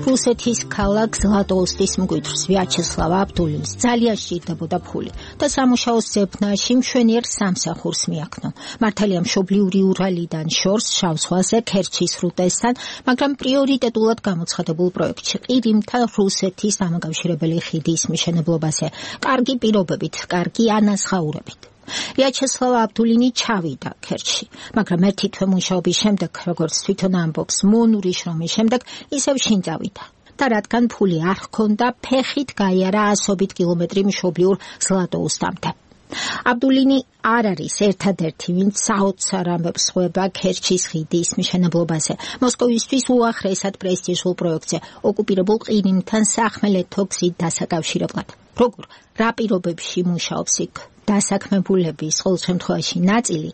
რუსეთის ქალაქ ზლატოუსტის მკვიდრს ვიაჩესლავ აბდულინს ძალიან სჭირდებოდა ფული და სამუშაოს ზებნაში მშვენიერ სამსახურს მიაქნო. მართალია მშობლიური ურალიდან შორს შავ ზღვაზე ქერჩის სრუტესთან, მაგრამ პრიორიტეტულად გამოცხადებულ პროექტში ყირიმთან რუსეთის დამაკავშირებელი ხიდის მშენებლობაზე კარგი პირობებით, კარგი ანაზღაურებით. ვიაჩესლავ აბდულინი ჩავიდა ქერჩში, მაგრამ ერთი თვე მუშაობის შემდეგ, როგორც თვითონ ამბობს, მონური შრომის შემდეგ ისევ შინ წავიდა. და რადგან ფული არ ჰქონდა, ფეხით გაიარა ასობით კილომეტრი მშობლიურ ზლატოუსტამდე. აბდულინი არ არის ერთადერთი, ვინც საოცარ ამბებს ხვება ქერჩის ხიდის მშენებლობაზე. მოსკოვისთვის უახლესად პრესტიჟულ პროექტზე, ოკუპირებულ ყირიმთან სახმელეთო გზით დასაკავშირებლად. როგორ, რა პირობებში მუშაობს იქ დასაქმებულების ყოველ შემთხვევაში ნაწილი,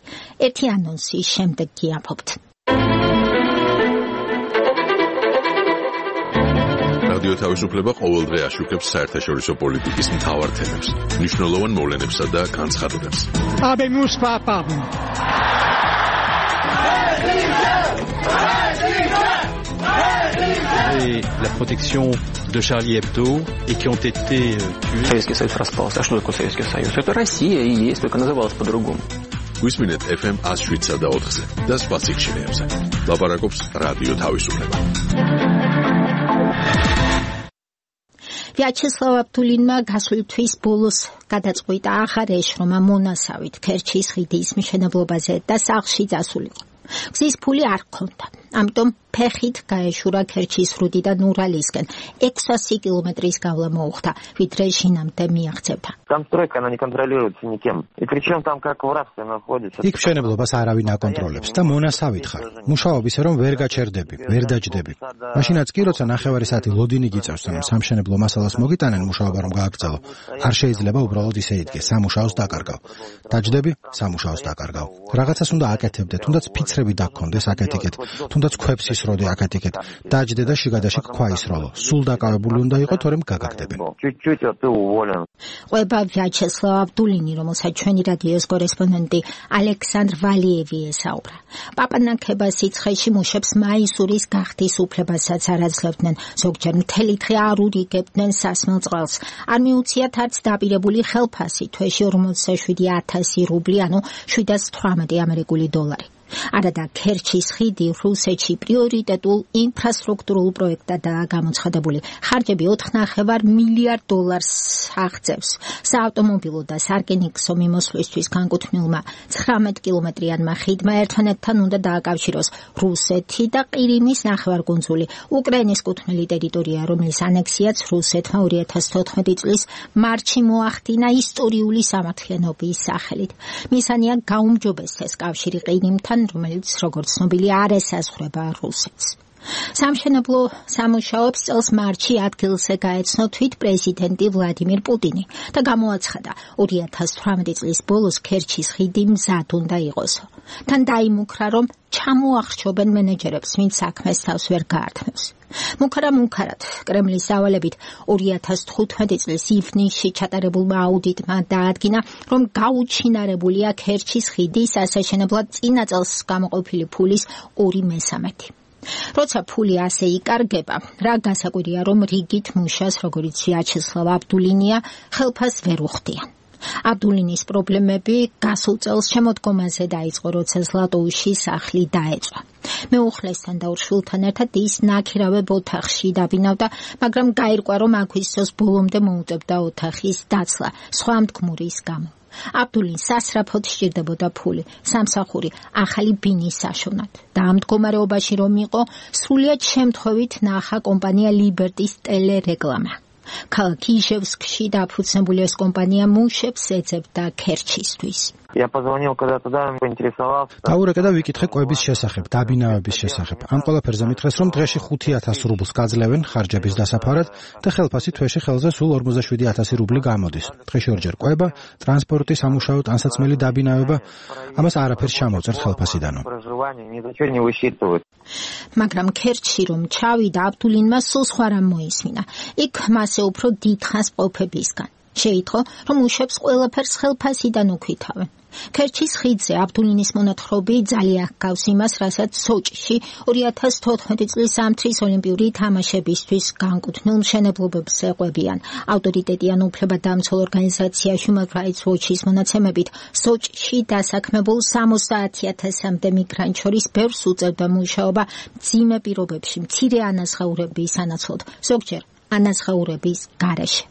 ერთი ანონსის შემდეგ გიამბობთ. რადიო თავისუფლება ყოველდღე აშუქებს საერთაშორისო პოლიტიკის მთავარ თემებს, მნიშვნელოვან მოვლენებსა და განცხადებებს. Et la protection de Charlie Hebdo et qui ont été tués. Советский Союз распался. А что такое Советский Союз? Это Россия и есть, только называлась по-другому. Გვისმინეთ FM 107 და 4-ზე და სხვა სიგნალებზე. ლაპარაკობს რადიო თავისუფლება. ვიაჩესლავ აბდულინმა გასული თვის ბოლოს გადაწყვიტა აღარ ეშრომა მონასავით ქერჩის ხიდის მშენებლობაზე და სახლში წასულიყო. გზის ფული არ ჰქონდა, ამიტომ ფეხით გაეშურა ქერჩის სრუტიდან ურალისკენ 600 კილომეტრის გავლა მოუხდა, ვიდრე შინამდე მიაღწევდა. Там она не контролируется никем. И причем там как в рабстве находится. იქ მშენებლობას არავინ აკონტროლებს და მონასავით ხარ. მუშაობის რომ ვერ გაჩერდები, ვერ დაჯდები. მაშინაც კი როცა ნახევარი საათი ლოდინი გიწევს, რომ სამშენებლო მასალას მოგიტანენ მუშაობა რომ გააგრძელო, არ შეიძლება უბრალოდ ისე იდგე, სამუშაოს დაკარგავ. დაჯდები, სამუშაოს დაკარგავ. რაღაცას უნდა აკეთებდე, თუნდაც ფიცრები დაგქონდეს აკეთიკეთ, თუნდაც ქვებს ისროდე აკეთიკეთ. დაჯდე და შიგადაში ქვა ისროლო. სულ დაკავებული უნდა იყო, თორემ გაგაგდებენ. ყვება ვიაჩესლავ აბდულინი, რომელსაც ჩვენი რადიოს კორესპონდენტი ალექსანდრ ვალიევი ესაუბრა. პაპანაკება სიცხეში მუშებს მაისურის გახდის უფლებასაც არ აძლევდნენ, ზოგჯერ მთელი დღე არ ურიგებდნენ სასმელ წყალს. არ მიუციათ არც დაპირებული ხელფასი, თვეში 47,000 რუბლი, ანუ 718 ამერიკული დოლარი. არადა ქერჩის ხიდი რუსეთში პრიორიტეტულ ინფრასტრუქტურულ პროექტადაა გამოცხადებული. ხარჯები 4,5 მილიარდ დოლარს აღწევს. საავტომობილო და სარკინიგზო მიმოსვლისთვის განკუთვნილმა 19 კილომეტრიანმა ხიდმა ერთმანეთთან უნდა დააკავშიროს რუსეთი და ყირიმის ნახევარკუნძული, უკრაინის კუთვნილი ტერიტორია, რომლის ანექსიაც რუსეთმა 2014 წლის მარტში მოახდინა ისტორიული სამართლიანობის სახელით. მისანია გაუმჯობესდეს კავშირი ყირიმთან, რომელიც როგორც ცნობილი არ ესაზღვრება რუსეთს. სამშენებლო სამუშაოებს წელს მარტში ადგილზე გაეცნო თვით პრეზიდენტი ვლადიმირ პუტინი და გამოაცხადა 2018 წლის ბოლოს ქერჩის ხიდი მზად უნდა იყოსო. თან დაიმუქრა, რომ ჩამოახშობენ მენეჯერებს, ვინც საქმეს თავს ვერ გაართმევს. მუქარად კრემლის დავალებით 2015 წლის ივნისში ჩატარებულმა აუდიტმა დაადგინა, რომ გაუჩინარებულია ქერჩის ხიდის ასაშენებლად წინა წელს გამოყოფილი ფულის 2/3. როცა ფული ასე იკარგება, რა გასაკვირია, რომ რიგით მუშას, როგორც ვიაჩესლავ აბდულინია, ხელფას ვერ უხდიან. აბდულინის პრობლემები გასულ წელს შემოდგომაზე დაიწყო, როცა ზლატოუსში სახლი დაეწვა. მეუხლესთან და ორ შვილთან ერთად ის ნაქირავებ ოთახში დაბინავდა, მაგრამ გაირკვა, რომ აგვისტოს ბოლომდე მოუწევდა ოთახის დაცლა, სხვა მდგმურის გამო. აბდულინს სასწრაფოდ სჭირდებოდა ფული, სამსახური, ახალი ბინის საშოვნად. და ამ მდგომარეობაში რომ იყო, სრულიად შემთხვევით ნახა კომპანია ლიბერტის ტელერეგლამა. ქალაქ იჟევსკში დაფუძნებული ეს კომპანია მუშებს ეძებდა ქერჩისთვის. Я позвонил когда туда, поинтересовался. დაურეკე და ვიკითხე კვების შესახებ, დაბინავების შესახებ. ამ ყველაფერზე მითხრეს, რომ დღეში 5,000 რუბლს გაძლევენ ხარჯების დასაფარად და ხელფასი თვეში ხელზე სულ 47,000 რუბლი გამოდის. დღეში ორჯერ კვება, ტრანსპორტი, სამუშაო, ტანსაცმელი, დაბინავება, ამას არაფერს ჩამოვწერთ ხელფასიდანო. მაგრამ ქერჩში რომ ჩავიდა, აბდულინმა სულ სხვა რამ მოისმინა. იქ მასე უფრო დიდხანს ყოფებისგან. შეიტყო, რომ მუშებს ყველაფერს ხელფასიდან უკვითავენ. ქერჩის ხიდზე აბდულინის მონათხრობი ძალიან ჰგავს იმას, რასაც სოჭში 2014 წლის ზამთრის ოლიმპიური თამაშებისთვის განკუთვნილ მშენებლობებს ეყვებიან. ავტორიტეტიან უფლებადამცველ ორგანიზაცია Human Rights Watch-ის მონაცემებით, სოჭში დასაქმებულ 70,000-მდე მიგრანტ შორის ბევრს უწევდა მუშაობა მძიმე პირობებში, მცირე ანაზღაურების სანაცვლოდ, ზოგჯერ ანაზღაურების გარეშე.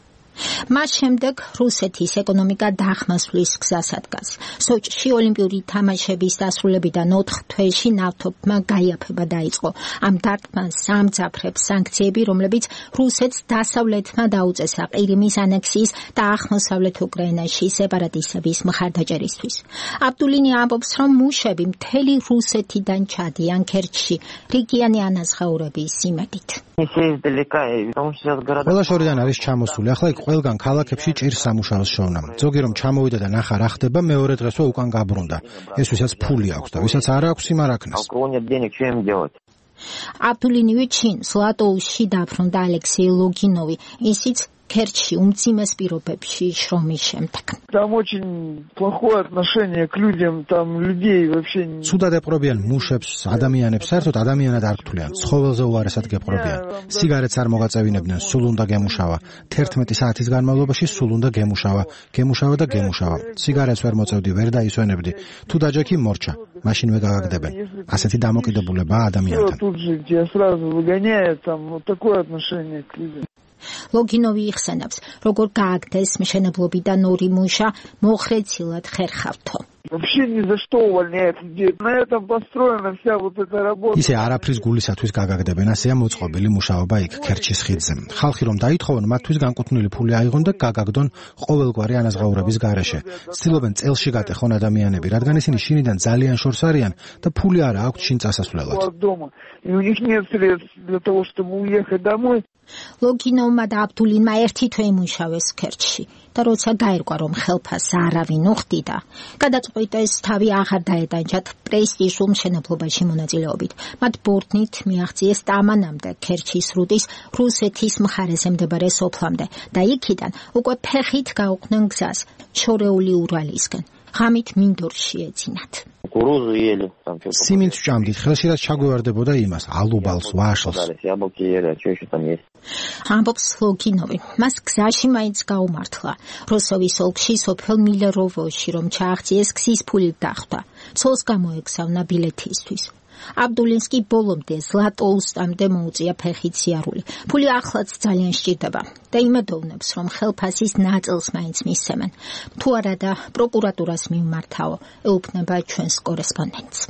მას შემდეგ რუსეთის ეკონომიკა დახმასვლის გზას ადგას. სოჭში ოლიმპიური თამაშების დასრულებიდან 4 თვეში ნავთობმა გაიაფება დაიწყო. ამ დარტყმას სამძაფრებს სანქციები, რომლებიც რუსეთს დასავლეთმა დაუწესა ყირიმის ანექსიის და აღმოსავლეთ უკრაინაში სეპარატისტების მხარდაჭერისთვის. აბდულინი ამბობს, რომ მუშები მთელი რუსეთიდან ჩადიან ქერჩში რიგიანი ანაზღაურების იმედით. ყველა შორიდან არის ჩამოსული. ახლა იქ ყველგან ქალაქებში ჭირს სამუშაოს შოვნა. ზოგი რომ ჩამოვიდა და ნახა რა ხდება, მეორე დღესვე უკან გაბრუნდა. ეს ვისაც ფული აქვს და ვისაც არ აქვს, იმ არ აქნას. აბდულინი ვიჩინ ზლატოუსში დაბრუნდა ალექსეი ლოგინოვი, ისიც ქერჩში უმძიმეს პირობებში შრომის შემდეგ. Там очень плохое отношение к людям, там людей вообще. Სუდად ეპყრობიან მუშებს, ადამიანებს, საერთოდ ადამიანად არ გთვლიან. ცხოველზე უარესად გეპყრობიან. სიგარეტს არ მოგაწევინებდნენ, სულ უნდა გემუშავა. 11 საათის განმავლობაში სულ უნდა გემუშავა. გემუშავა და გემუშავა. სიგარეტს ვერ მოწევდი, ვერ დაისვენებდი. თუ დაჯექი მორჩა, მაშინვე გაგაგდებენ. ასეთი დამოკიდებულებაა ადამიანთან. Тут же тебя сразу выгоняют, там вот такое отношение к людям. ლოგინოვი იხსენებს, როგორ გააგდეს მშენებლობიდან 2 მუშა მოხრეცილად ხერხავთო. Вообще ни за что увольняют людей. На этом построена вся вот эта работа. ისე არაფრის გულისათვის გაგაგდებენ, ასეა მოწყობილი მუშაობა იქ ქერჩის ხიდზე. ხალხი რომ დაითხოვონ, მათთვის განკუთვნილი ფული აიღონ და გაგაგდონ ყოველგვარი аназღაურების გარეშე. ცდილობენ წელში გატეხონ ადამიანები, რადგან ისინი შინიდან ძალიან შორს არიან და ფული არ აქვთ შინ წასასვლელად. И у них нет средств для того, чтобы уехать домой. ლოგინოვმა და აბდულინმა ერთი თვე იმუშავეს ქერჩში და როცა გაირკვა, რომ ხელფას არავინ უხდიდა, გადაწყვიტეს თავი აღარ დაეტანჯათ პრესტიჟულ მშენებლობაში მონაწილეობით. მათ ბორტნით მიაღწიეს ტამანამდე ქერჩის სრუტის რუსეთის მხარეზე მდებარე სოფლამდე და იქიდან უკვე ფეხით გაუყვნენ გზას შორეული ურალისკენ. ღამით მინდორში ეძინათ. სიმინდს ჭამდით, ხელში რაც ჩაგვევარდებოდა იმას, ალუბალს, ვაშლს. ამბობს ლოგინოვი. მას გზაში მაინც გაუმართლა. როსოვის ოლქში სოფელ მილეროვოში რომ ჩააღწიეს გზის ფული დახვდა. ცოლს გამოეგზავნა ბილეთისთვის. აბდულინსკი ბოლომდე ზლატოუსტამდე მოუწია ფეხით სიარული. ფული ახლაც ძალიან სჭირდება და იმედოვნებს, რომ ხელფასის ნაწილს მაინც მისცემენ. თუ არა და პროკურატურას მიმართაო, ეუბნება ჩვენს კორესპონდენტს.